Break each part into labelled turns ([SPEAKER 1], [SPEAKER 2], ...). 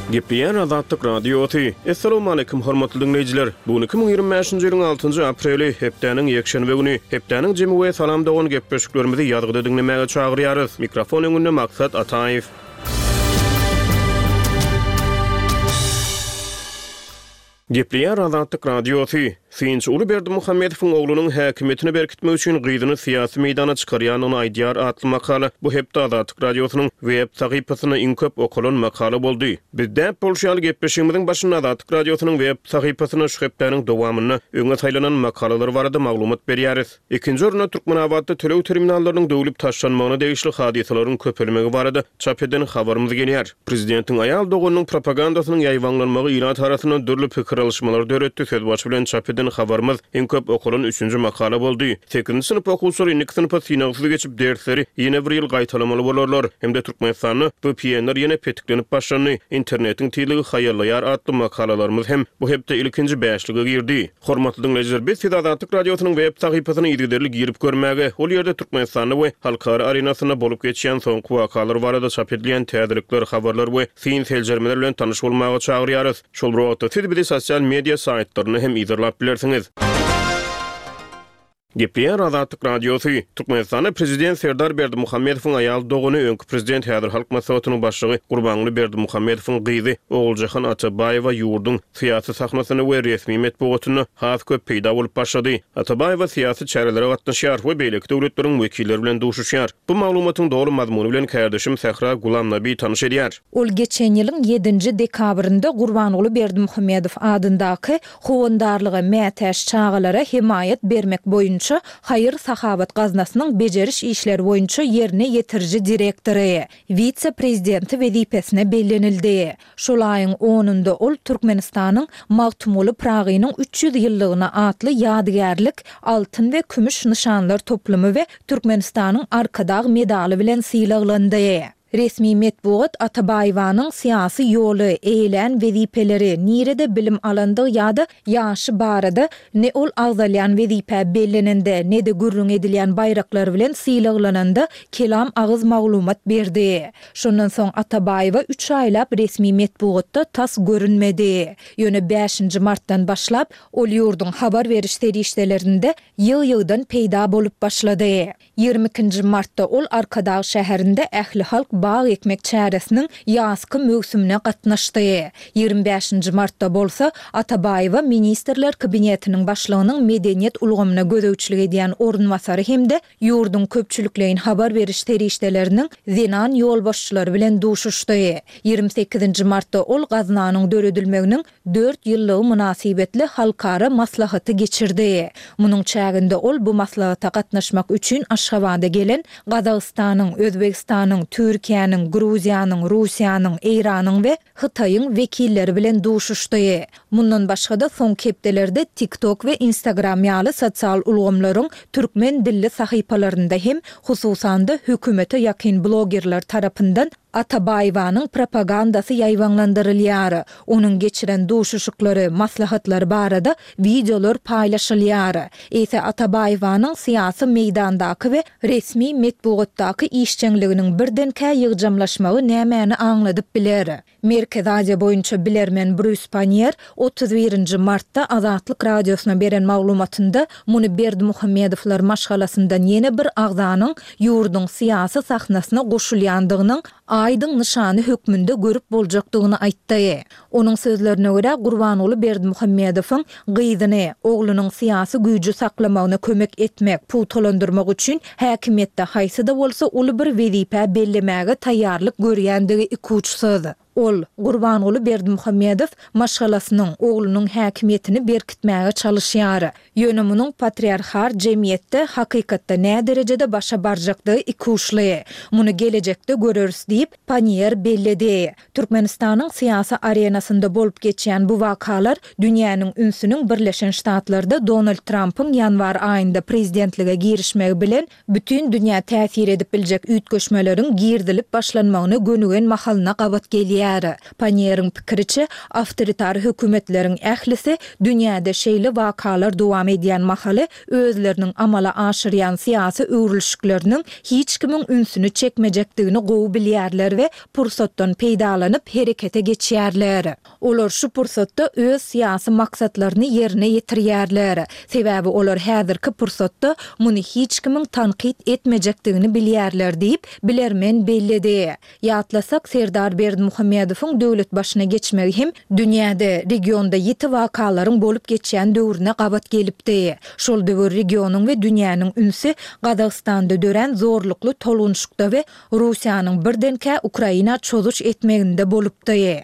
[SPEAKER 1] Gepleýär Azatlyk Radiosy. Assalamualaikum hormatly diňleýjiler. Bu gün 2025-nji ýylyň 6-njy apreli, hepdäniň ýekşenbe güni. Hepdäniň jemi we Salam dogan gepleşiklerimizi ýazgyda diňlemäge çagyrýarys. Mikrofon öňünde Maksat Ataýew. Gepleýär Azatlyk Radiosy. Synçy Uly Berdimuhamedowyň oglunyň häkimiýetini berkitmek üçin gyzyny syýasy meýdana çykarýandygyny aýdýar atly makala bu hepde Azatlyk Radiosynyň web sahypasynda iň köp okalan makala boldy. Biz däp bolşy ýaly gepleşigimiziň başynda Azatlyk Radiosynyň web sahypasynda şu hepdäniň dowamynda öňe saýlanan makalalar barada maglumat berýäris. Ikinji orunda Türkmenabatda töleg terminallarynyň döwlüp taşlanmagyna degişli hadysalaryň köpelmegi barada çap eden habarymyz gelýär. Prezidentiň aýal doganynyň propagandasynyň ýaýbaňlanmagy ilat arasynda dürli pikir alyşmalary döretdi sözbaşy bilen çap eden habarymyz iň köp okalan üçünji makala boldy. Sekizinji synp okuwçylary indiki synpa synagsyz geçip dersleri ýene bir ýyl gaýtalamaly bolarlar hem-de Türkmenistanda VPN-ler ýene petiklenip başlandy, internetiň tizligi haýallaýar atly makalalarymyz hem bu hepde ilkinji bäşlige girdi. Hormatly diňleýjiler, biz sizi Azatlyk Radiosynyň web sahypasyna yzygiderli girip görmäge, ol ýerde Türkmenistanda we halkara arenasynda bolup geçýän soňky wakalar barada çap edilýän täzelikler, habarlar we syn-seljermeler bilen tanyş bolmaga çagyrýarys. Şol bir wagtda, siz bizi sosial media saýtlarynda hem yzarlap bilersiňiz. Gepleýär Azatlyk Radiosy, Türkmenistanda prezident Serdar Berdimuhamedowyň aýal dogany, öňki prezident, häzir Halk Maslahatynyň başlygy Gurbanguly Berdimuhamedowyň gyzy Oguljahan Atabaýewa ýurduň syýasy sahnasynda we resmi metbugatynda has köp peýda bolup başlady. Atabaýewa syýasy çärelere gatnaşýar we beýleki döwletleriň wekilleri bilen duşuşýar. Bu maglumatyň doly mazmuny bilen kärdeşim Sähra Gulamnabi tanyş edýär.
[SPEAKER 2] Ol geçen ýylyň ýedinji dekabrynda Gurbanguly Berdimuhamedow adyndaky Howandarlyga mätäç çagalara hemaýat bermek boýunça haýyr-sahawat gaznasynyň bejeriş işleri boýunça ýerine ýetiriji direktory, wise-prezidenti wezipesine bellenildi. Şol aýyň onunda ol Türkmenistanyň Magtymguly Pyragynyň 300 ýyllygyna atly ýadygärlik altyn we kümüş nyşanlar toplumy we Türkmenistanyň Arkadag medaly bilen sylaglandy. Resmi metbugat Atabaýewanyň syýasy ýoly, eýelän wezipeleri, nirede bilim alandygy ýa-da ýaşy barada ne ol agzalýan wezipä bellenende, ne-de gürrüň edilýän baýraklar bilen sylaglananda kelam agyz maglumat berdi. Şondan soň Atabaýewa üç aýlap resmi metbugatda tas görünmedi. Ýöne bäşinji martdan başlap, ol ýurduň habar beriş serişdelerinde ýygy-ýygydan peýda bolup başlady. 22 nji martda ol Arkadag şäherinde ählihalk bag ekmek çäresiniň ýazky möwsümine gatnaşdy. 25 nji martda bolsa Atabaýewa Ministrler Kabinetiniň Başlygynyň medeniýet ulgamyna gözegçilik edýän orunbasary hem-de ýurduň köpçülikleýin habar beriş serişdeleriniň zenan ýolbaşçylary bilen duşuşdy. 28 nji martda ol gaznanyň döredilmeginiň dört ýyllygy mynasybetli halkara maslahaty geçirdi. Munuň çäginde ol bu maslahata gatnaşmak üçin Aşgabada gelen Gazagystanyň, Özbegistanyň, Türkiýäniň, Gruziýanyň, Russiýanyň, Eýranyň we Hytaýyň wekilleri bilen duşuşdy. Mundan başga-da, soňky hepdelerde TikTok we Instagram ýaly sosial ulgamlaryň türkmen dilli sahypalarynda hem, hususan-da, hökümete ýakyn blogerler tarapyndan Atabaýewanyň propagandasy ýaýbaňlandyrylýar. Onuň geçiren duşuşyklary, maslahatlary barada wideolar paýlaşylýar. Eýse Atabaýewanyň syýasy meýdandaky we resmi metbugatdaky işjeňliginiň birdenkä ýygjamlaşmagy nämäni aňladyp biler? Merkezi Aziýa boýunça bilermen Brýus Panniýer 31 nji martda Azatlyk Radiosyna beren maglumatynda muny Berdimuhamedowlar maşgalasyndan ýene bir agzanyň ýurduň syýasy sahnasyna goşulýandygynyň aýdyň nyşany hökmünde görüp boljakdygyny aýtdy. Onuň sözlerine görä, Gurbanguly Berdimuhamedowyň gyzyny, oglunyň syýasy güýji saklamagyna kömek etmek, pugtalandyrmak üçin häkimiýetde haýsy-da bolsa uly bir wezipä bellemäge taýýarlyk görýändigi ikuçsyz. Ol, Gurbanguly Berdimuhamedow, maşgalasynyň, oglunyň häkimiýetini berkitmäge çalyşýar. Ýöne munuň patriarhar jemgyýetde hakykatda näderejede başa barjakdygy ikuçly. Muny gelejekde göreris diýip, Panniýer belledi. Türkmenistanyň syýasy arenasynda bolup geçýän bu wakalar dünýäniň ünsüniň Birleşen Ştatlarda Donald Trampyň ýanwar aýynda prezidentlige girişmegi bilen bütin dünýä täsir edip biljek üýtgeşmeleriň girizilip başlanmagyna gönügen mahalyna gabat gelýär. belleýär. Panniýeriň pikiriçe, awtoritar hökümetleriň ählisi dünýäde şeýle wakalar dowam edýän mahaly özleriniň amala aşyrýan syýasy öwrülişikleriniň hiç kimiň ünsüni çekmejekdigini gowy bilýärler we pursatdan peýdalanyp herekete geçýärler. Olar şu pursatda öz syýasy maksatlaryny ýerine ýetirýärler. Sebäbi olar häzirki pursatda muny hiç kimiň tankyt etmejekdigini bilýärler diýip, bilermen belledi. Ýatlasak, Serdar Berdimuhamedowyň döwlet başyna geçmegi hem dünýäde, regionda ýiti wakalaryň bolup geçýän döwrüne gabat gelipdi. Şol döwür regionyň we dünýäniň ünsi Gazagystanda dörän zorlukly tolgunyşykda we Russiýanyň birdenkä Ukraina çozuş etmeginde bolupdy.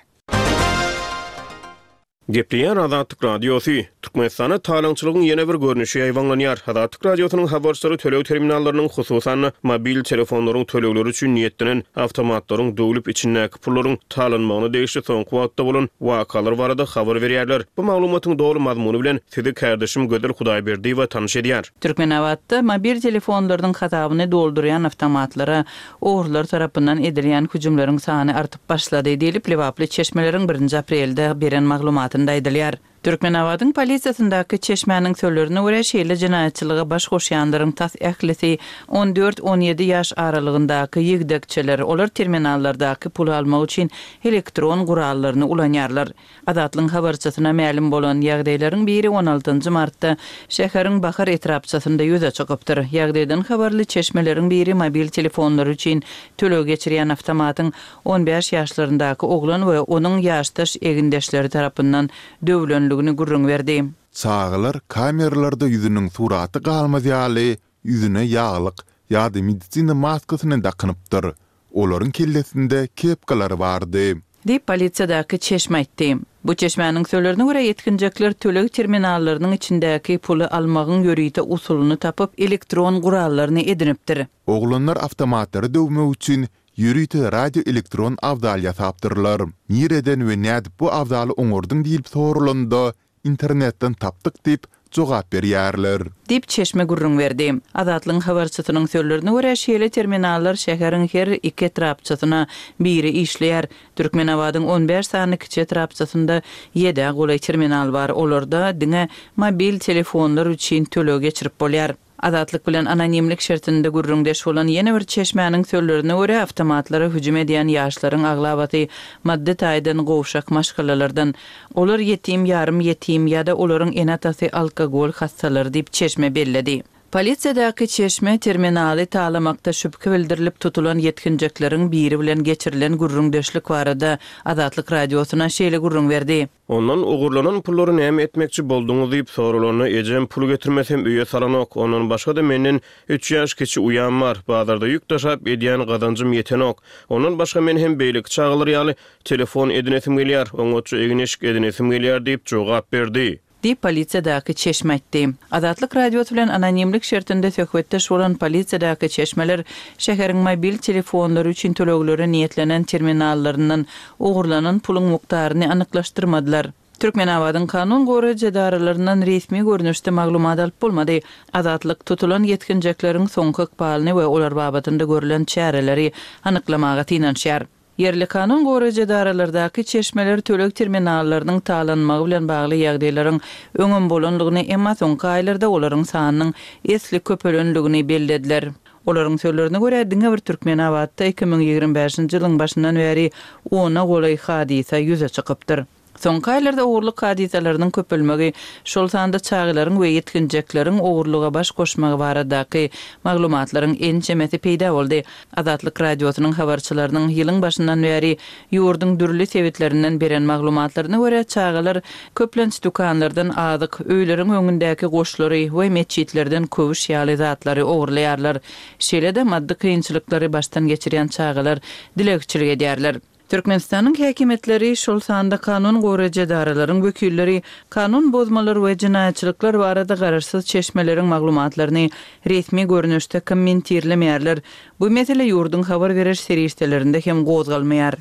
[SPEAKER 1] Gepleýär Azatlyk Radiosy, Türkmenistanda talaňçylygyň ýene bir görnüşi ýaýbaňlanýar. Azatlyk Radiosynyň habarçylary töleg terminallarynyň, hususan-da, mobil telefonlaryň tölegleri üçin niýetlenen awtomatlaryň döwlüp, içindäki pullaryň talanmagyna degişli soňky wagtda bolan wakalar barada habar berýärler. Bu maglumatyň doly mazmuny bilen sizi kärdeşim Gözel Hudaýberdiýewa tanyş edýär.
[SPEAKER 3] Türkmenabatda mobil telefonlarynyň hasabyny doldurýan awtomatlara Ogrular tarapyndan edilýän hüjümleriň sany artyp başlady diýlip, lebaply çeşmeleriň birinji aprelde beren maglumatynda aýdylýar. Türkmenabadyň polisiýasyndaky çeşmäniň sözlerine görä, şeýle jenaýatçylyga baş goşýanlaryň tas ählisi on dört-on ýedi ýaş aralygyndaky ýigdekçeler, olar terminallardaky puly almak üçin elektron gurallaryny ulanýarlar. Azatlygyň habarçysyna mälim bolan ýagdaýlaryň biri on altynjy martda şäheriň Bahar etrapçasynda ýüze çykypdyr. Ýagdaýdan habarly çeşmeleriň biri mobil telefonlary üçin töleg geçirýän awtomatyň on bäş ýaşlaryndaky oglan we onuň ýaşdaş egindeşleri tarapyndan döwlenligini gürrüň berdi.
[SPEAKER 4] Çagalar kameralarda ýüzüniň suraty galmaz ýaly ýüzüne ýaglyk ýa-da medisina maskasyny dakynypdyr. Olaryň kellesinde kepkalar bardy.
[SPEAKER 3] Diýip, polisiýadaky çeşme aýtdy. Bu çeşmäniň sözlerine görä, ýetginjekler töleg terminallarynyň içindäki puly almagyň ýörite usulyny tapyp, elektron gurallaryny edinipdir.
[SPEAKER 4] Oglanlar awtomatlary döwmek üçin ýörite radioelektron abzal ýasapdyrlar. Nireden we nädip bu abzaly oňardyň diýlip soralanda, Internetden tapdyk diýip, jogap berýärler.
[SPEAKER 3] Diýip, çeşme gürrüň berdi. Azatlygyň habarçysynyň sözlerine görä, şeýle terminallar şäheriň her iki etrapçasyna biri işleýär. Türkmenabadyň on bäş sany kiçi etrapçasynda ýedä golaý terminal bar, olarda diňe mobil telefonlar üçin töleg geçirip bolýar. Azatlyk bilen anonimlik şertinde gürrüňdeş bolan ýene bir çeşmäniň sözlerine görä, awtomatlara hüjüm edýän ýaşlaryň aglabasy maddy taýdan gowşak maşgalalardan. Olar ýetim, ýarym ýetim ýa-da olaryň ene-atasy alkogol hassalary diýip, çeşme belledi. Polisiýadaky çeşme terminaly talamakda şübhe bildirilip tutulan ýetginjekleriň biri bilen geçirilen gürrüňdeşlik barada Azatlyk Radiosyna şeýle gürrüň berdi.
[SPEAKER 1] Ondan ogurlanan pullary näme etmekçi bolduňyz diýip soralanda, ejem pul getirmesem öýe salanok, ondan başga-da menden üç ýaş kiçi uýam bar, bazarda ýük daşap edýän gazanjym ýetenok. Ondan başga men hem beýleki çagalar ýaly telefon edinesim gelýär, oňatja egin-eşik edinesim gelýär diýip jogap berdi.
[SPEAKER 3] Diýip, polisiýadaky çeşme aýtdy. Azatlyk Radiosy bilen anonimlik şertinde söhbetdeş bolan polisiýadaky çeşmeler şäheriň mobil telefonlary üçin töleglere niýetlenen terminallaryndan ogurlanan puluň mukdaryny anyklaşdyrmadylar. Türkmenabadyň kanun goraýjy edaralaryndan resmi görnüşde maglumat alyp bolmady. Azatlyk tutulan ýetginjekleriň soňky ykbalyny we olar babatynda görlen çäreleri anyklamaga synanyşýar. Ýerli kanun goraýjy edaralardaky çeşmeler töleg terminallarynyň talanmagy bilen bagly ýagdaýlaryň öňem bolanlygyny, emma soňky aýlarda olaryň sanynyň esli köpelenligini bellediler. Olaryň sözlerine görä, diňe bir Türkmenabatda 2025-nji ýylyň başyndan bäri ona golaý hadysa ýüze çykypdyr. Soňky aýlarda ogurlyk hadysalarynyň köpelmegi, şol sanda çagalaryň we ýetginjekleriň ogurlyga baş goşmagy baradaky maglumatlaryň ençemesi peýda boldy. Azatlyk Radiosynyň habarçylarynyň ýylyň başyndan bäri ýurduň dürli sebitlerinden beren maglumatlaryna görä, çagalar köplenç dükanlardan azyk, öýleriň öňündäki goşlary we metjitlerden köwüş ýaly zatlary ogurlaýarlar. Şeýle-de maddy kynçylyklary başdan geçirýän çagalar dilegçilik edýärler. Türkmenistanyň häkimiýetleri, şol sanda kanun goraýjy edaralaryň wekilleri kanun bozmalar we jenaýatçylyklar barada garaşsyz çeşmeleriň maglumatlaryny resmi görnüşde kommentirlemeýärler. Bu mesele ýurduň habar beriş serişdelerinde hem gozgalmaýar.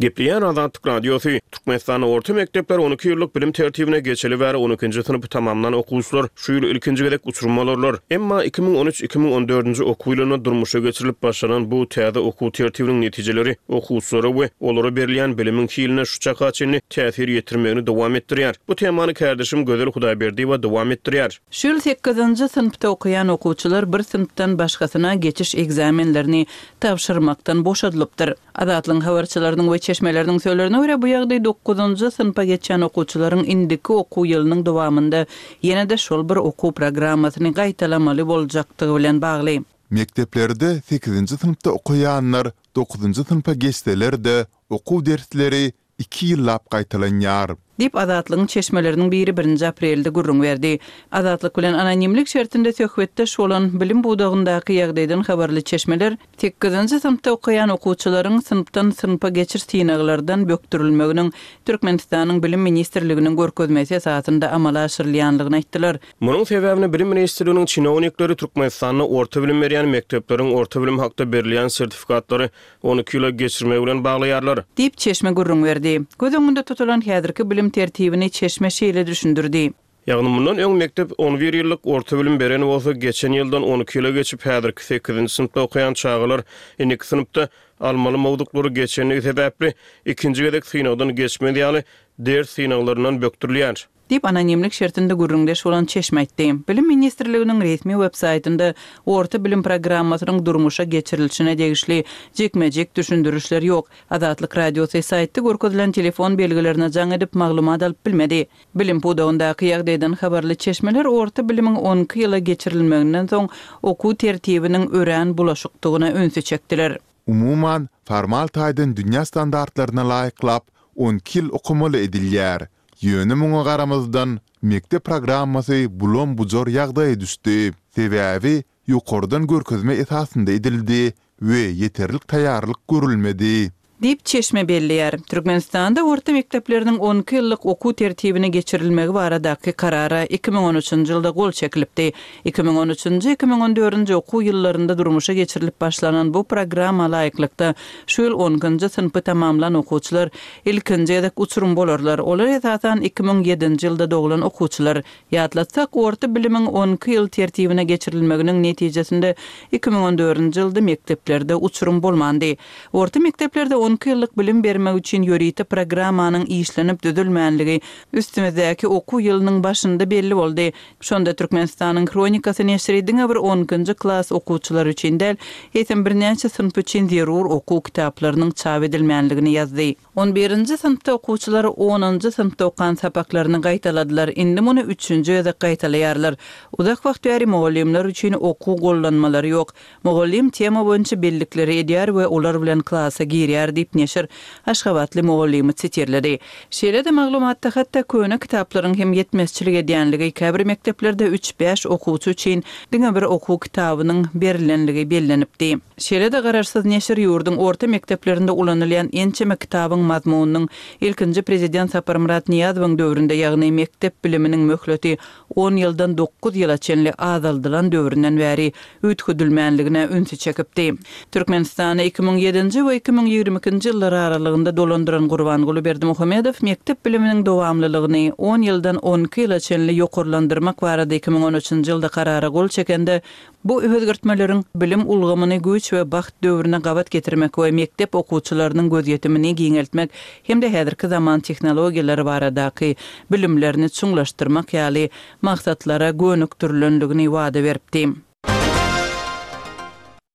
[SPEAKER 1] Gepleýär Azatlyk Radiosy, Türkmenistanda orta mekdepler on iki ýyllyk bilim tertibine geçeli bäri on ikinji synpy tamamlan okuwçylar şu ýyl ilkinji gezek uçurym bolarlar. Emma 2013, 2014-nji okuw ýylynda durmuşa geçirilip başlanan bu täze okuw tertibiniň netijeleri okuwçylara we olara berilýän bilimiň hiline şu çaka çenli täsir ýetirmegini dowam etdirýär. Bu temany kärdeşim Gözel Hudaýberdiýewa dowam etdirýär.
[SPEAKER 3] Şu ýyl sekizinji synpda okaýan okuwçylar bir synpdan başgasyna geçiş ekzamenlerini tabşyrmakdan boşadylypdyr. Azatlygyň habarçylarynyň we çeşmeleriniň sözlerine görä, bu ýagdaý dokuzynjy synpa geçýän okuwçylaryň indiki okuw ýylynyň dowamynda ýene-de şol bir okuw programmasyny gaýtalamaly boljakdygy bilen bagly.
[SPEAKER 4] Mekdeplerde sekizinji synpda okaýanlar dokuzynjy synpa geçseler-de, okuw dersleri iki ýyllap gaýtalanýar.
[SPEAKER 3] Diýip, Azatlygyň çeşmeleriniň biri birinji aprelde gürrüň berdi. Azatlyk bilen anonimlik şertinde söhbetdeş bolan, bilim pudagyndaky ýagdaýdan habarly çeşmeler sekizinji synpda okaýan okuwçylaryň synpdan synpa geçiş synaglardan bökdürilmeginiň Türkmenistanyň Bilim ministrliginiň görkezmesi esasynda amala aşyrylýanlygyny aýtdylar.
[SPEAKER 1] Munuň sebäbini Bilim ministrliginiň çinownikleri Türkmenistanda orta bilim berýän mekdepleriň orta bilim hakda berilýän sertifikatlary 12 ýyla geçirmegi bilen baglaýarlar.
[SPEAKER 3] Diýip, çeşme gürrüň berdi. Göz öňünde tutulan häzirki bilim tertibini çeşme şeýle düşündirdi.
[SPEAKER 1] Ýagny mundan öň mekdep on bir ýyllyk orta bilim beren bolsa, geçen ýyldan 12 ýyla geçip, häzirki sekizinji synpda okaýan çagalar indiki synpda almaly mowzuklary geçenligi sebäpli, ikinji gezek synagdan geçmez ýaly ders synaglaryndan bökdürilýär.
[SPEAKER 3] Diýip, anonimlik şertinde gürrüňdeş bolan çeşme aýtdy. Bilim ministrliginiň resmi web-saýtynda orta bilim programmasynyň durmuşa geçirilişine degişli jikme-jik düşündirişler ýok. Azatlyk Radiosy saýtda görkezilen telefon belgilerine jaň edip, maglumat alyp bilmedi. Bilim pudagyndaky ýagdaýdan habarly çeşmeler orta bilimiň on iki ýyla geçirilmeginden soň okuw tertibiniň örän bulaşykdygyna ünsi çekdiler.
[SPEAKER 4] Umuman, formal taýdan dünýä standartlaryna laýyklap, on iki ýyl okamaly edilýär. Ýöne muňa garamazdan, mekdep programmasy bulam-bujar ýagdaýa düşdi. Sebäbi ýokardan görkezme esasynda edildi we ýeterlik taýýarlyk görülmedi.
[SPEAKER 3] Diýip, çeşme belleýär. Türkmenistanda orta mekdepleriniň on iki ýyllyk okuw tertibine geçirilmegi baradaky Karara 2013-nji ýylda gol çekilipdi. 2013-nji, 2014-nji okuw ýyllarynda durmuşa geçirilip başlanan bu programma laýyklykda, şu ýyl on ikinji synpy tamamlan okuwçylar Ilkinji gezek uçurym bolarlar. Olar esasan 2007-nji ýylda doglan okuwçylar. Ýatlatsak, orta bilimiň on iki ýyl tertibine geçirilmeginiň netijesinde 2014-nji ýylda mekdeplerde uçurym bolmandy. Orta mekdeplerde on iki ýyllyk bilim bermek üçin ýörite programmanyň işlenip düzülmänligi üstümizdäki okuw ýylynyň başynda belli boldy. Şonda Türkmenistanyň Hronikasy neşiri diňe bir on ikinji klas okuwçylary üçin däl, eýsem birnäçe synp üçin zerur okuw kitaplarynyň çap edilmänligini ýazdy. On birinji synpda okuwçylar onunjy synpda okan sapaklaryny gaýtaladylar, indi muny üçünji gezek gaýtalaýarlar. Uzak wagt bäri mugallymlar üçin okuw gollanmalary ýok. Mugallym tema boýunça bellikleri edýär we olar bilen klasa girýär diýip, neşir aşgabatly mugallymy sitirledi. Şeýle-de maglumatda hatda köne kitaplaryň hem ýetmezçilik edýänligi, käbir mekdeplerde üç-bäş okuwçy üçin diňe bir okuw kitabynyň berilenligi bellenipdi. Şeýle-de garaşsyz neşir ýurduň orta mekdeplerinde ulanylýan ençeme kitabyň mazmunynyň ilkinji prezident Saparmyrat Nyýazowyň döwründe, ýagny mekdep biliminiň möhleti on ýyldan dokuz ýyla çenli azaldylan döwründen bäri üýtgedilmänligine ünsi çekipdi. Türkmenistany 2007-nji we 2022-nji ýyllar aralygynda dolandyran Gurbanguly Berdimuhamedow mekdep biliminiň dowamlylygyny on ýyldan on iki ýyla çenli ýokarlandyrmak barada 2013-nji ýylda karara gol çekende Bu özgertmeleriň bilim ulgamyny güýç we bagt döwrüne gabat getirmek we mekdep okuwçylarynyň gözýetimini giňeltmek hem-de häzirki zaman tehnologiýalary baradaky bilimlerini çuňlaşdyrmak ýaly maksatlara gönükdirilendigini wada beripdi.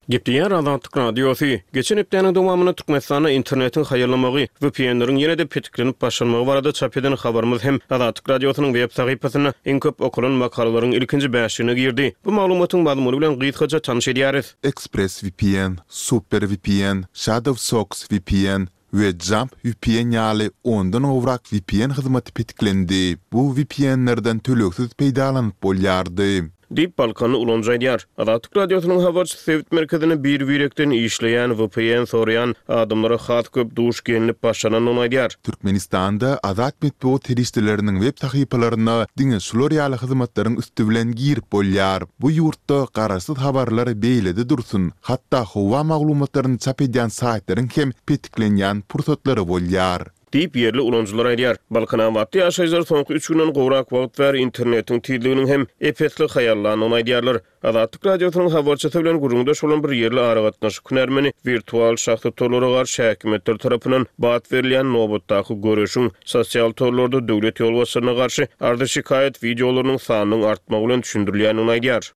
[SPEAKER 1] Gepleýär Azatlyk Radiosy. Geçen hepdäniň dowamynda Türkmenistanda internetiň haýallamagy, VPN-leriň ýene-de petiklenip başlanmagy barada çap eden habarymyz hem Azatlyk Radiosynyň web sahypasynda iň köp okalan makalalaryň ilkinji bäşligine girdi. Bu maglumatyň mazmuny bilen gysgaça tanyş edýäris.
[SPEAKER 4] ExpressVPN, SuperVPN, ShadowSocks VPN we Jump VPN ýaly ondan gowrak VPN hyzmaty petiklendi. Bu VPN-lerden tölegsiz peýdalanyp bolýardy.
[SPEAKER 1] Diýip, balkanly ulanyjy aýdýar. Azatlyk Radiosynyň habarçysy sebit merkezinde bir-birekden işleýän vpn soraýan adamlara has köp duş gelnip başlanandygyny aýdýar.
[SPEAKER 4] Türkmenistanda azat metbugat serişdeleriniň web sahypalaryna diňe şular ýaly hyzmatlaryň üsti bilen girip bolýar. Bu ýurtda garaşsyz habarlar beýlede dursun, hatda howa maglumatlaryny çap edýän saýtlaryň hem petiklenýän pursatlary bolýar.
[SPEAKER 1] Diýip, ýerli ulanyjylar aýdýar. Balkanabatly ýaşaýjylar soňky üç günden gowrak wagt bäri internetiň tizliginiň hem ep-esli haýallandygyny aýdýarlar. Azatlyk Radiosynyň habarçysy bilen gürrüňdeş bolan bir ýerli aragatnaşyk hünärmeni wirtual şahsy torlara garşy häkimiýetler tarapyndan bat berilýän nobatdaky göreşiň sosial torlarda döwlet ýolbaşçylaryna garşy arzy-şikaýat wideolarynyň sanynyň artmagy bilen düşündirilýändigini aýdýar.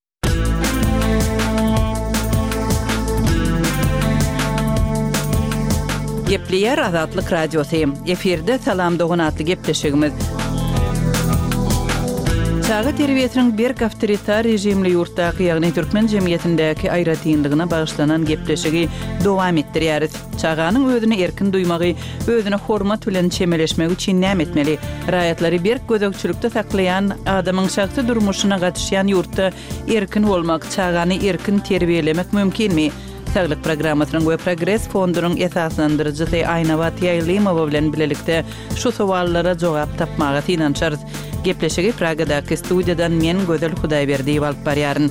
[SPEAKER 3] Gepleýär Azatlyk Radiosy. Efirde Salam dogan atly gepleşigimiz. Çaga terbiýesiniň berk awtoritar režimli ýurtdaky, ýagny türkmen jemgyýetindäki aýratynlygyna bagyşlanan gepleşigi dowam etdirýäris. Çaganyň özüni erkin duýmagy, özüne hormat bilen çemeleşmegi üçin näme etmeli? Raýatlary berk gözegçilikde saklaýan, adamyň şahsy durmuşyna gatyşýan ýurtda erkin bolmak, çagany erkin terbiýelemek mümkinmi? Saglyk programmasynyň we Progres fondunyň esaslandyryjysy Aýnabat Ýaýlymowa bilen bilelikde şu sowallara jogap tapmaga synanyşarys. Gepleşigi Pragadaky studiýadan men Gözel Hudaýberdiýewa alyp barýaryn.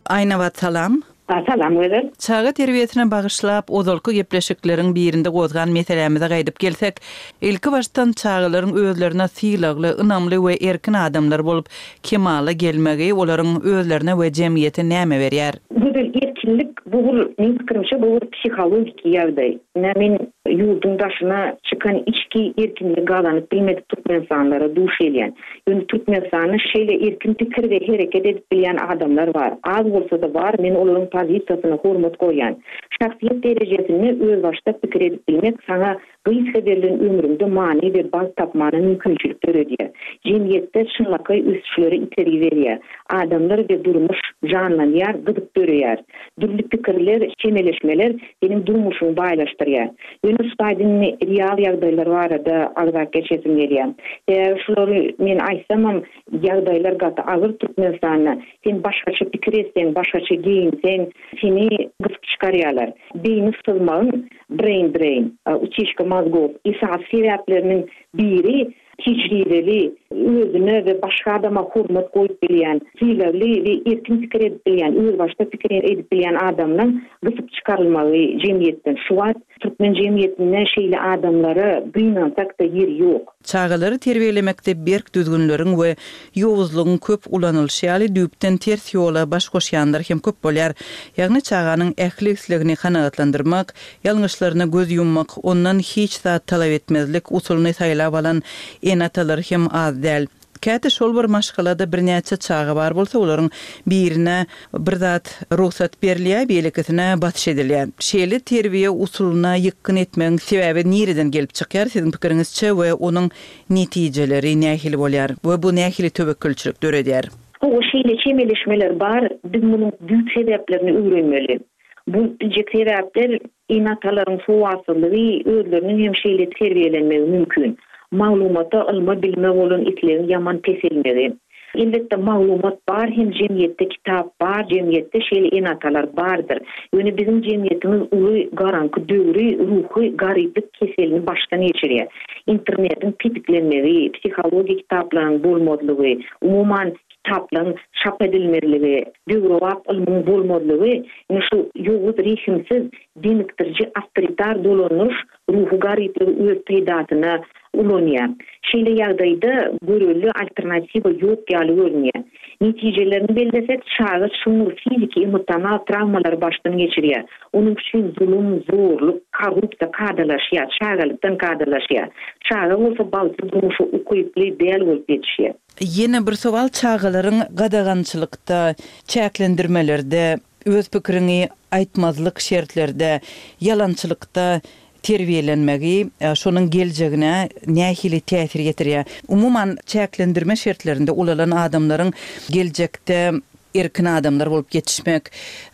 [SPEAKER 3] Aýnabat salam.
[SPEAKER 5] Salam Gözel.
[SPEAKER 3] Çaga terbiýesine bagyşlap ozalky gepleşikleriň birinde gozgan meselämize gaýdyp gelsek, ilki başdan çagalaryň özlerine sylagly, ynamly we erkin adamlar bolup kemala gelmegi olaryň özlerine we jemgyýete näme berýär?
[SPEAKER 5] Gözel, erkinlik bu bir, meň pikirimçe, bu bir psihologiki ýagdaý. Ine, men ýurduň daşyna çykan içki erkinligi gazanyp bilmedik türkmenistanlylara duş gelýän. Ýöne Türkmenistanda şeýle erkin pikir we hereket edip bilýän adamlar bar. Az bolsa-da bar, men olaryň pozisiýasyna hormat goýýan. Şahsyýet derejesinde özbaşdak pikir edip bilmek saňa gysga berlen ömrüňde many we bagt tapmana mümkinçilik döredýär. Jemgyýetde çynlakaý ösüşlere itergi berýär. Adamlar we durmuş janlanýar, gyzyk döreýär. Dürli pikirler, çemeleşmeler seniň durmuşyňy baýlaşdyrýar. Ýöne şu taýda indi real ýagdaýlar barada agzap geçesim gelýär. Sebäbi şulary men aýtsamam, ýagdaýlar gaty agyr Türkmenistanda. Sen başgaça pikir etseň, başgaça geýinseň, seni gysyp çykarýarlar. Beýni syzmagyň, brain drain, utişka mozgov, esasy sebäpleriniň biri Tejribeli, özüne we başga adama hormat goýup bilýän, sylagly we erkin pikir edip bilýän, özbaşdak pikir edip bilýän adamlaň gysyp çykarylmagy jemgyýetden. Şu wagt türkmen jemgyýetinde şeýle adamlara gynansak-da ýer ýok.
[SPEAKER 3] Çagalary terbiýelemekde berk düzgünleriň we ýowuzlygyň köp ulanylyşy ýaly düýpden ters ýola baş goşýanlar hem köp bolýar. Ýagny çaganyň ähli islegini kanagatlandyrmak, Ýalňyşlaryna göz ýummak, ondan hiç zat talap etmezlik usulyny saýlap alan ene-atalar hem az däl. Käte şol bir maşgalada birnäçe çaga bar bolsa, olaryň birine bir zat rugsat berilýär, beýlekisine basyş edilýär. Şeýle terbiýe usulyna ýykgyn etmegiň sebäbi nireden gelip çykýar siziň pikiriňizçe we onuň netijeleri nähili bolýar we bu nähili töwekgelçilik döredýär?
[SPEAKER 5] Hawa, şeýle çemeleşmeler bar, biz munuň düýp sebäplerini öwrenmeli. Bolup biljek sebäpler ene-atalaryň sowatsyzlygy, özleriniň hem şeýle terbiýelenmegi mümkin. Maglumata, ylma, bilime bolan islegiň ýaman peselmegi. Elbetde, maglumat bar hem jemgyýetde kitap bar, jemgyýetde şeýle ene-atalar bardyr. Ýöne biziň jemgyýetimiz uly garaňky döwri, ruhy garyplyk keselini başdan geçirýär. Internetiň petiklenmegi, psihologiýa kitaplaryň bolmazlygy, umuman, kitaplaryň çap edilmezligi, döwrebap ylmyň bolmazlygy ine şu ýowuz, rehimsiz, demikdiriji awtoritar dolandyryş ruhy garyplygy öz peýdasyna ulanýar. Şeýle ýagdaýda görelde alternatiwa ýok ýaly görünýär. Netijelerini bellesek, çaga çuňňur fiziki, emosional trawmalary başdan geçirýär. Onuň üçin zulum, zorluk, korrupsiýa kadalaşýar, çagalykdan kadalaşýar. Çaga bolsa bagtly durmuşa ukyply däl bolup ýetişýär.
[SPEAKER 3] Ýene bir sowal çagalaryň gadagançylykda, çäklendirmelerde, öz pikiriňi aýtmazlyk şertlerde, ýalançylykda terbiýelenmegi şonuň geljegine nähili täsir ýetirýär? Umuman, çäklendirme şertlerinde ulalan adamlaryň geljekde. erkin adamlar bolup ýetişmek,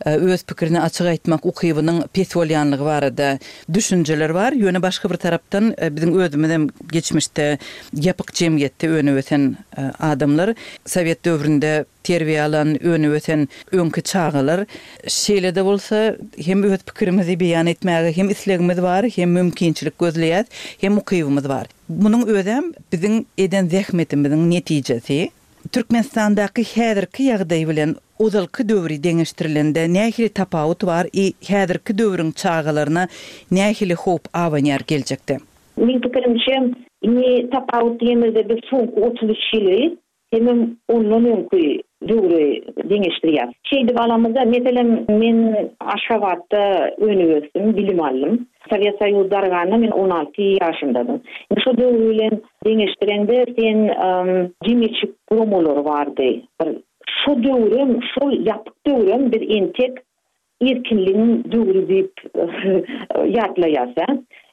[SPEAKER 3] öz pikirini açyk aýtmak ukybynyň pes bolýanlygy barada düşünjeler bar. Ýöne başga bir tarapdan biziň özümizem geçmişde ýapyk jemgyýetde önüp-ösen adamlar. Sowet döwründe terbiýe alan, önüp-ösen öňki çagalar. Şeýle-de bolsa, hem öz pikirimizi beýan etmäge hem islegimiz bar, hem mümkinçilik gözleýäs, hem ukybymyz bar. Munuň özem biziň eden zähmetimiziň netijesi. Türkmenistandaky häzirki ýagdaý bilen ozalky döwri deňeşdirilende nähili tapawut bar i häzirki döwrüň çagalaryna nähili howp abanýar geljekde?
[SPEAKER 5] Meň pikirimçe, indi tapawut diýemizde biz soňky 33 ýyly hemem ondan öňki döwri deňeşdirýäs. Şeýdip alamyzda, meselem, men Aşgabatda önüp-ösdüm, bilim aldym. Sowet Soýuzy darganda men 16 ýaşymdadym. Indi şo döwür bilen deňeşdireňde sen jemgyýetçilik guramalary bardy. Bir şo döwrem, şol ýapyk döwrem biz entek erkinligiň döwri diýip ýatlaýas-a.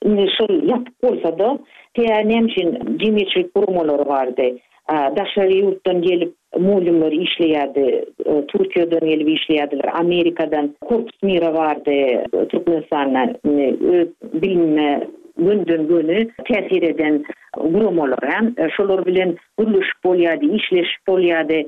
[SPEAKER 5] Indi şol ýapyk bolsa-da, sebäbi näme üçin jemgyýetçilik guramalary bardy. Daşary ýurtdan gelip mugallymlar işleýärdi, Türkiýeden gelip işleýärdiler, Amerikadan Korpus Mira bardy Türkmenistanda, indi öz bilimime gönden-göni täsir eden guramalar, hä. Şolar bilen gürleşip bolýardy, işleşip bolýardy,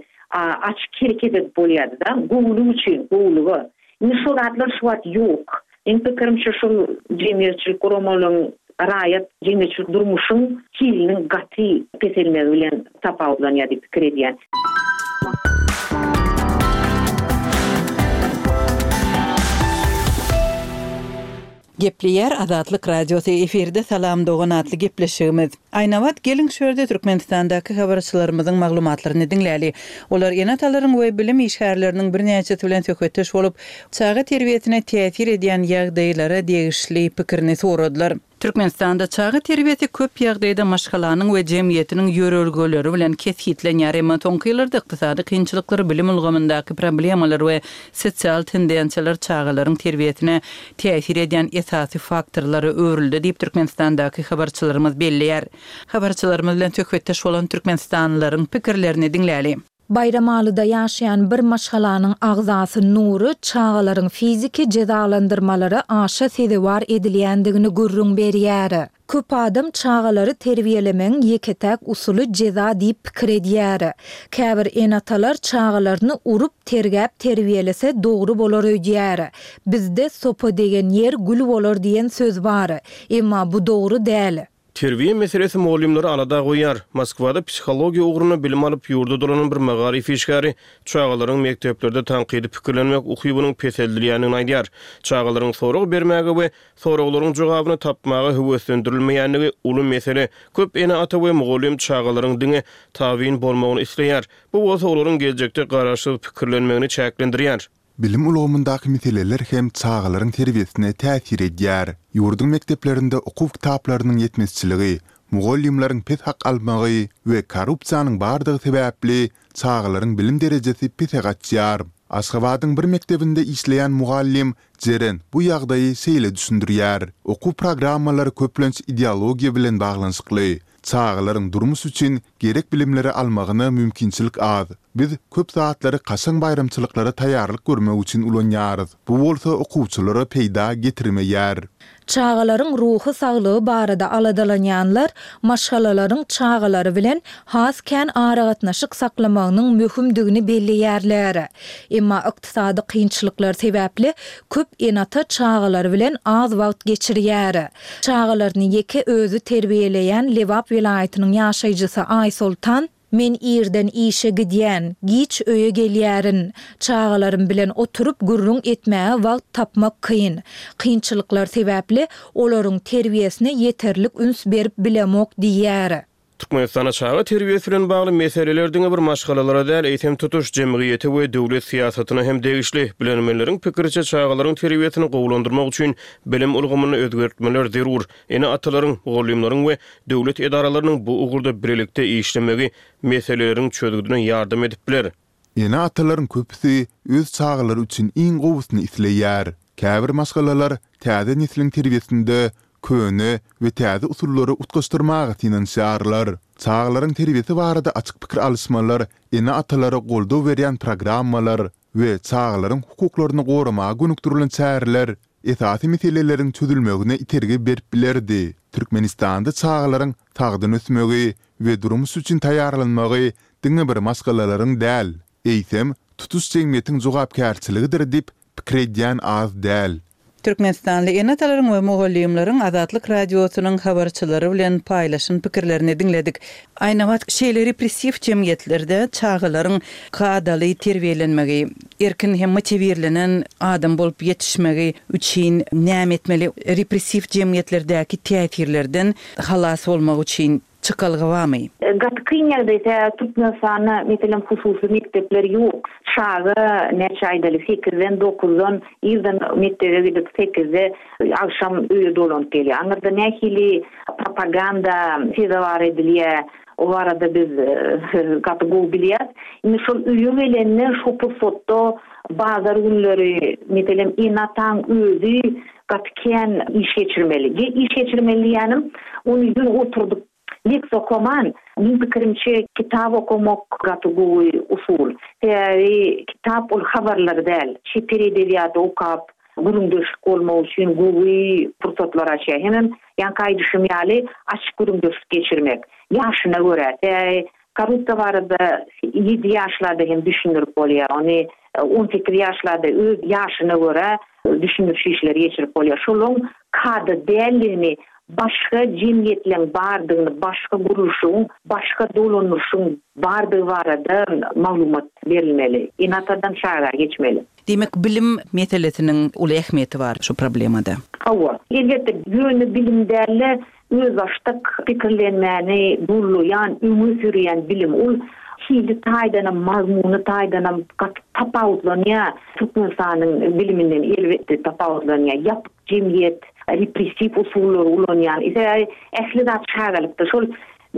[SPEAKER 5] açyk hereket edip bolýardy-da, gowulyk üçin, gowulyga. Indi şol zatlar şu wagt ýok. Meň pikirimçe şol jemgyýetçilik guramalaryň raýat jemgyýetçilik durmuşyň hiliniň gaty peselmegi bilen tapawutlanýar diýip pikir edýän.
[SPEAKER 3] Gepleýär Azatlyk Radiosy, efirde Salam dogan atly gepleşigimiz. Aýnabat geliň şu ýerde Türkmenistandaky habarçylarymyzyň maglumatlaryny diňläli. Olar ene-atalaryň we bilim işgärleriniň birnäçesi bilen söhbetdeş bolup, çaga terbiýesine täsir edýän ýagdaýlara degişli pikirini soradylar. Türkmenistanda çaga terbiýesi köp ýagdaýda maşgalanyň we jemgyýetiniň ýörelgeleri bilen kesgitlenýär. Emma soňky ýyllarda ykdysady kynçylyklar, bilim ulgamyndaky problemalar we sosial tendensiýalar çagalaryň terbiýesine täsir edýän esasy faktorlara öwrüldi diýip, Türkmenistandaky habarçylarymyz belleýär. Habarçylarymyz bilen söhbetdeş bolan türkmenistanlylaryň pikirlerini diňläli.
[SPEAKER 2] Baýramalyda ýaşaýan bir maşgalanyň agzasy Nury çagalaryň fiziki jezalandyrmalara aşa sezewar edilýändigini gürrüň berýär. Köp adam çagalary terbiýelemegiň ýeke-täk usuly jeza diýip pikir edýär. Käbir ene-atalar çagalaryny urup, tergäp terbiýelese dogry bolar öýdýär. Bizde Sopa degen ýer gül bolar diýen söz bar. Emma bu dogry däl.
[SPEAKER 1] Terbiýe meselesi mugallymlary alada goýýar. Moskwada psihologiýa ugrunda bilim alyp, ýurda dolanan bir magaryf işgäri çagalaryň mekdeplerde tankydy pikirlenmek ukybynyň peseldilýändigini aýdýar. Çagalaryň sorag bermäge we Soraglaryň jogabyny tapmaga höweslendirilmeýändigi uly mesele. Köp ene-ata we mugallym çagalaryň diňe tabyn bolmagyny isleýär. Bu bolsa olaryň geljekde garaşsyz pikirlenmegini çäklendirýär.
[SPEAKER 4] Bilim ulgamyndaky meseleler hem çagalaryň terbiýesine täsir edýär. Ýurduň mekdeplerinde okuw kitaplarynyň ýetmezçiligi, mugallymlaryň pes hak almagy we korrupsiýanyň bardygy sebäpli çagalaryň bilim derejesi pese gaçýar. Aşgabadyň bir mekdebinde işleýän mugallym Jeren bu ýagdaýy şeýle düşündirýär, Okuw programmalary köplenç ideologiýa bilen baglanyşykly. Çagalaryň durmuş üçin gerek bilimleri almagyna mümkinçilik az. Biz köp zatlary kaşaň baýramçylyklara taýýarlyk görmek üçin ulanýarys. Bu bolsa okuwçylara peýda getirmeýär.
[SPEAKER 2] Çagalaryň ruhy saglygy barada aladalanýanlar maşgalalaryň çagalary bilen has kän aragatnaşyk saklamagynyň möhümdigini belleýärler. Emma ykdysady kynçylyklar sebäpli köp ene-ata çagalary bilen az wagt geçirýär. Çagalaryny ýeke özi terbiýeleýän Lebap welaýatynyň ýaşaýjysy Aýsoltan, Men irden işe gidýän, giç öýe gelýärin. Çagalarym bilen oturyp gürrüň etmäge wagt tapmak kyn. Kynçylyklar sebäpli olaryň terbiýesine ýeterlik üns berip bilemok diýýär.
[SPEAKER 1] Türkmenistanda çaga terbiýesi bilen bagly meseleler diňe bir maşgalalara däl, eýsem tutuş jemgyýete we döwlet syýasatyna hem degişli. Bilermenleriň pikiriçe, çagalaryň terbiýesini gowulandyrmak üçin bilim ulgamynda özgertmeler zerur. Ene-atalaryň, mugallymlaryň we döwlet edaralarynyň bu ugurda birlikde işlemegi meseleleriň çözgüdine ýardam edip biler.
[SPEAKER 4] Ene-atalaryň köpüsi öz çagalary üçin iň gowusyny isleýär. Käbir maşgalalar täze nesliň terbiýesinde köne we täze usullary utgaşdyrmaga synanyşýarlar. Çagalaryň terbiýesi barada açyk pikir alyşmalar, ene-atalara goldaw berýän programmalar we çagalaryň hukuklaryny goramaga gönükdirilen çäreler esasy meseleleriň çözülmegine itergi berip bilerdi. Türkmenistanda çagalaryň sagdyn ösmegi we durmuş üçin taýýarlanmagy diňe bir maşgalalaryň däl, eýsem, tutuş jemgyýetiň jogapkärçiligidir diýip pikir edýän az däl.
[SPEAKER 3] Türkmenistanly ene-atalaryň we mugallymlaryň Azatlyk Radiosynyň habarçylary bilen paýlaşan pikirlerini diňledik. Aýnabat, şeýle repressiw jemgyýetlerde çagalaryň kadaly terbiýelenmegi, erkin hem motiwirlenen adam bolup ýetişmegi üçin näme etmeli? Repressiw jemgyýetlerdäki täsirlerden halas bolmak üçin Çykalga barmy?
[SPEAKER 5] Gaty kyn ýagdaý sebäbi Türkmenistanda meselem hususy mekdepler ýok. Çaga näçe aýdaly sekizden dokuzdan irden mekdebe gidip sekizde agşam öýe dolanyp gelýär. Aňyrda nähili propaganda sezewar edilýär o barada biz gaty gowy bilýäs. Indi şol öýe gelende şo pursatda bazar günleri meselem ene-ataň özi Gaty kän iş geçirmeli. Iş geçirmeli diýýänim, ony ýöne oturdyp leksiýa okaman, meň pikirimçe kitap okamak gaty gowy usul. Sebäbi kitap ol habarlar däl. Çeper edebiýaty okap, gürrüňdeşlik bolmak üçin gowy pursatlar açýar. Hemem ýaňky aýdyşym ýaly açyk gürrüňdeşlik geçirmek. Ýaşyna görä. Sebäbi Korrupsiýa barada ýedi ýaşlarda hem düşündirip bolýar. Ony 18 ýaşlarda öz ýaşyna görä düşündiriş işleri geçirip bolýar. Şolaryň kada däldigini, başga jemgyýetleň bardygyny, başga gurluşygyň, başga dolandyryşyň bardygy barada maglumat berilmeli. Ene-atadan çaga geçmeli.
[SPEAKER 3] Diýmek, bilim meselesiniň uly ähmiýeti bar şu problemada.
[SPEAKER 5] Hawa, elbetde, ýöne bilim däl-de, Özbaşdak pikirlenmäni gollaýan, öňe sürýän bilim. Ol hili taýdanam, mazmuny taýdanam gaty tapawutlanýar Türkmenistanyň biliminden elbetde tapawutlanýar. Ýapyk jemgyýet, repressiw usullary ulanýan. Sebäbi ähli zat çagalykda. Şol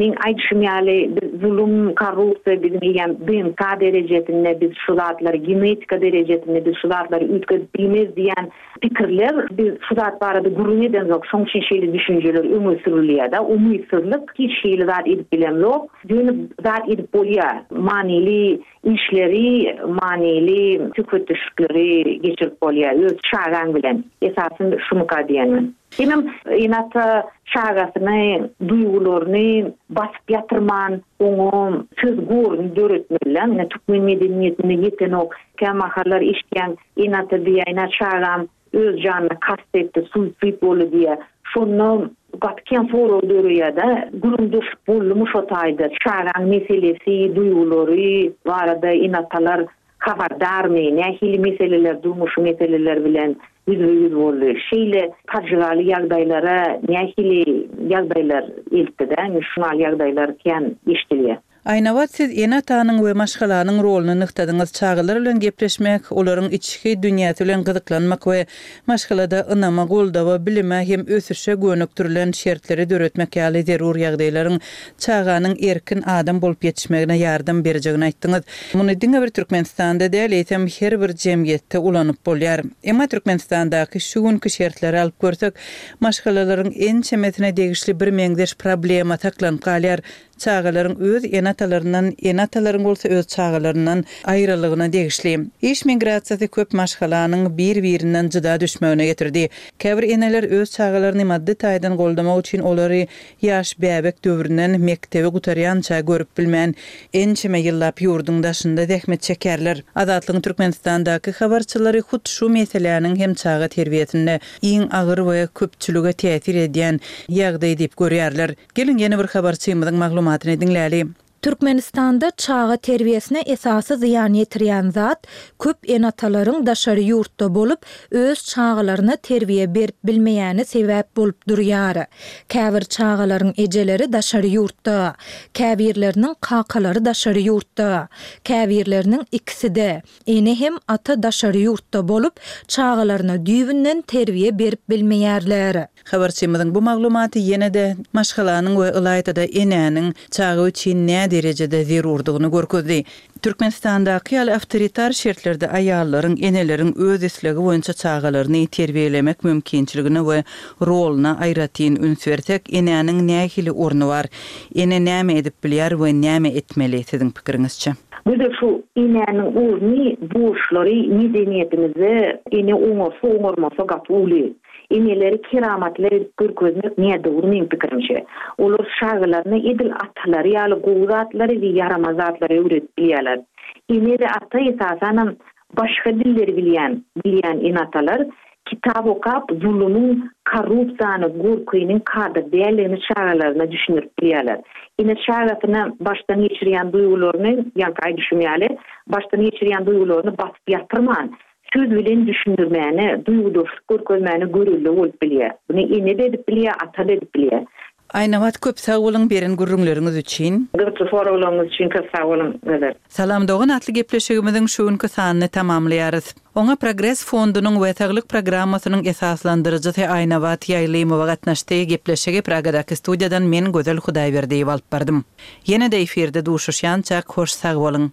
[SPEAKER 5] meň aýdyşym ýaly biz zulum, korrupsiýa biziň eýýäm DNK derejesinde biz şu zatlary genetika derejesinde biz şu zatlary üýtgedip bilmeris diýen Pikirler, biz şu zat barada gürrüň edemzok, şoň üçin şeýle düşünjeler öňe sürülýär-de, umytsyzlyk, hiç hili zat edip bilemzok, ýöne zat edip bolýar, manyly işleri, manyly söhbetdeşlikleri geçirip bolýar öz çagaň bilen, esasy şumyka diýen men. Hemem ene-ata çagasyny, duýgularyny basyp ýatyrman, oňa söz goruny döretmeli-dä, ine türkmen medeniýetinde ýetenok, kämahallar eşidýäň, Ene-ata diýýär, ine çagam öz janyna kast etdi, suisid boldy diýýär. Şonda gaty kän sorag döreýär-de, gürrüňdeşlik boldumy şo taýda? Çagaň meselesi, duýgulary barada ene-atalar habardarmy? Nähili meseleler, durmuşy meseleler bilen ýüzbe-ýüz boldy? Şeýle pajygaly ýagdaýlara nähili ýagdaýlar eltdi-de? Indi şuňaly ýagdaýlar kän eşidilýär.
[SPEAKER 3] Aýnabat siz ene-atanyň we maşgalanyň roluny nygtadyňyz, çagalar bilen gepleşmek, olaryň içki dünýäsi bilen gyzyklanmak we maşgalada ynama, goldawa, bilime hem ösüşe gönükdirilen şertleri döretmek ýaly zerur ýagdaýlaryň çaganyň erkin adam bolup ýetişmegine ýardam berjegini aýtdyňyz. Muny diňe bir Türkmenistanda däl, eýsem her bir jemgyýetde ulanyp bolýar. Emma Türkmenistandaky şu günki şertleri alyp görsek, maşgalalaryň ençemesine degişli birmeňzeş problema saklanyp galýar, Çagalaryň öz ene-atalaryndan, ene-atalaryň bolsa öz çagalaryndan aýralygyna degişli. Iş migrasiýasy köp maşgalanyň bir-birinden jyda düşmegine getirdi. Käbir eneler öz çagalaryny maddy taýdan goldamak üçin olary ýaş bäbek döwründen mekdebi gutarýança görüp bilmän, ençeme ýyllap ýurduň daşynda zähmet çekýärler. Azatlygyň Türkmenistandaky habarçylary hut şu meseläniň hem çaga terbiýesinde iň agyr we köpçülige täsir edýän ýagdaý diýip görýärler. Geliň ýene bir habarçymyzyň maglumatyny diňläli.
[SPEAKER 2] Türkmenistanda çaga terbiýesine esasy zyýan ýetirýän zat, köp ene-atalaryň daşary ýurtda bolup, öz çagalaryna terbiýe berip bilmeýäni sebäp bolup durýar. Käbir çagalaryň ejeleri daşary ýurtda, käbirleriniň kakalary daşary ýurtda, käbirleriniň ikisi-de, ene hem ata daşary ýurtda bolup, çagalaryna düýbünden terbiýe berip bilmeýärler.
[SPEAKER 3] Habarçymyzyň bu maglumaty ýene-de maşgalanyň we ylaýta-da enäniň çaga üçin nä. näderejede zerurdygyny görkezdi. Türkmenistandaky ýaly awtoritar şertlerde aýallaryň, eneleriň öz islegi boýunça çagalaryny terbiýelemek mümkinçiligine we roluna aýratyn üns bersek, enäniň nähili orny bar? Ene näme edip bilýär we näme etmeli, siziň pikiriňizçe?
[SPEAKER 5] Gözel şu enäniň orny, borçlary medeniýetimizde ene oňarsa oňarmasa gaty uly. Eneleri keramatly edip görkezmek nädogry meň pikirimçe. Olar çagalaryna edil atalary ýaly gowy zatlary we ýaramaz zatlary öwredip bilýärler. Ene we ata esasanam başga dilleri bilýän bilýän ene-atalar kitap okap zulumyň, korrupsiýany, gorkynyň kada däldigini çagalaryna düşündirip bilýärler. Ene çagasyna başdan geçirýän duýgularyny, ýaňky aýdyşym ýaly, başdan geçirýän duýgularyny basyp ýatyrman, söz bilen düşündirmäne, duýgudaşlyk görkezmäne görelde bolup bilýär. Muny ene-de edip bilýär, ata-da edip bilýär.
[SPEAKER 3] Aýnabat köp sag boluň beren gürrüňleriňiz üçin.
[SPEAKER 5] Gyzykly soraglaryňyz üçin köp sag boluň Gözel.
[SPEAKER 3] Salam dogan atly gepleşigimiziň şu günki sanyny tamamlaýarys. Oňa Progres fondunyň we Saglyk programmasynyň esaslandyryjysy Aýnabat Ýaýlymowa gatnaşdy. Gepleşigi Pragadaky studiýadan men Gözel Hudaýberdiýewa alyp bardym. Ýene-de efirde duşuşýançak hoş sag boluň.